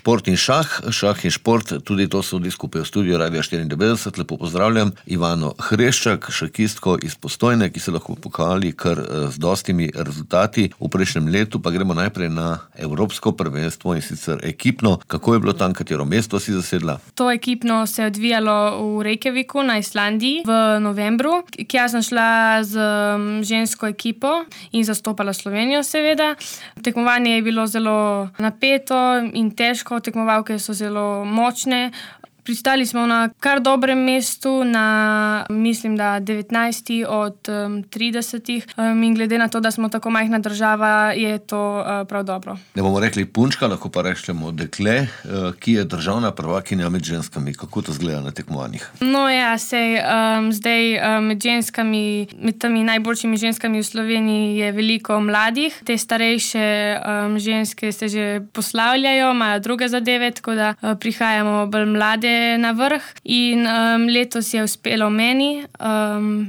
šport in šah. Šah in šport, tudi to so skupaj v studiu Radia 94. Lepo pozdravljam Ivano Hreščak, šahistko iz Postojne, ki se lahko pohvali kar z dostimi rezultati. V prejšnjem letu pa gremo najprej na evropsko prvenstvo in sicer ekipno. Kako je bilo tam, katero mesto si zasedla? To ekipno se je odvijalo v Reykjaviku na Islandiji v novembru, kjer sem šla z žensko ekipo in zastopala Slovenijo seveda. Tekmovanje je bilo zelo napeto in težko, tekmovalke so zelo močne. Pristali smo na kar dobrem mestu, na mislim, da 19 od 30. In glede na to, da smo tako majhna država, je to prav dobro. Ne bomo rekli punčka, lahko pa rečemo dekle, ki je državna prvakinja med ženskami. Kako to izgleda na tekmovanjih? No ja, zdaj med ženskami, med temi najboljšimi ženskami v Sloveniji je veliko mladih. Te starejše ženske se že poslavljajo, imajo druge zadeve, tako da prihajamo bolj mlade na vrh in letos je uspelo meni.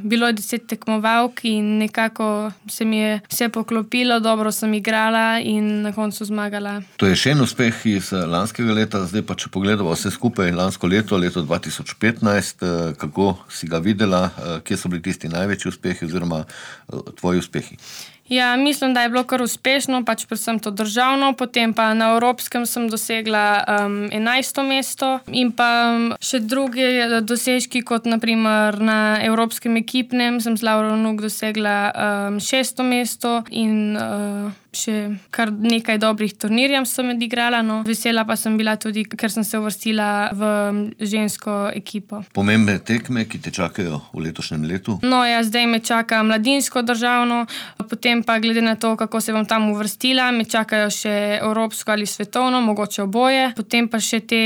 Bilo je 10 tekmovalk in nekako se mi je vse poklopilo, dobro sem igrala in na koncu zmagala. To je še en uspeh iz lanskega leta, zdaj pa če pogledamo vse skupaj, lansko leto 2015, kako si ga videla, kje so bili tisti največji uspehi oziroma tvoji uspehi? Ja, mislim, da je bilo kar uspešno, predvsem to državno, potem pa na evropskem sem dosegla 11. mesto in pa še druge dosežki, kot naprimer na evropskem ekipnem sem z Lauro Vnuk dosegla 6. mesto in še kar nekaj dobrih turnirjev sem odigrala. No. Vesela pa sem bila tudi, ker sem se uvrstila v žensko ekipo. Pomembne tekme, ki te čakajo v letošnjem letu? No ja, zdaj me čaka mladinsko državno, potem pa glede na to, kako se bom tam uvrstila, me čakajo še evropsko ali svetovno, mogoče oboje, potem pa še te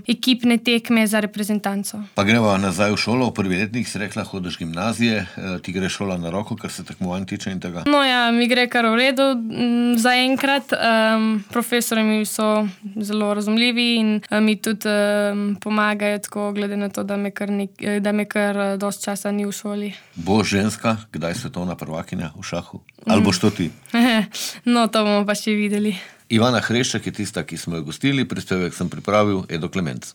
ekipne tekme za reprezentanco. Pa greva nazaj v šolo, v prvi letnik si rekla, hodiš gimnazije, ti gre šola na roko, kar se tekmovanj tiče in tega? No ja, mi gre kar v redu. Zaenkrat profesorji mi so zelo razumljivi in mi tudi pomagajo tako, glede na to, da me kar dosti časa ni v šoli. Boš ženska, kdaj svetovna prvakinja v šahu? Ali boš to ti? No, to bomo pa še videli. Ivana Hreščak je tista, ki smo jo gostili, prispevek sem pripravil Edo Klemenc.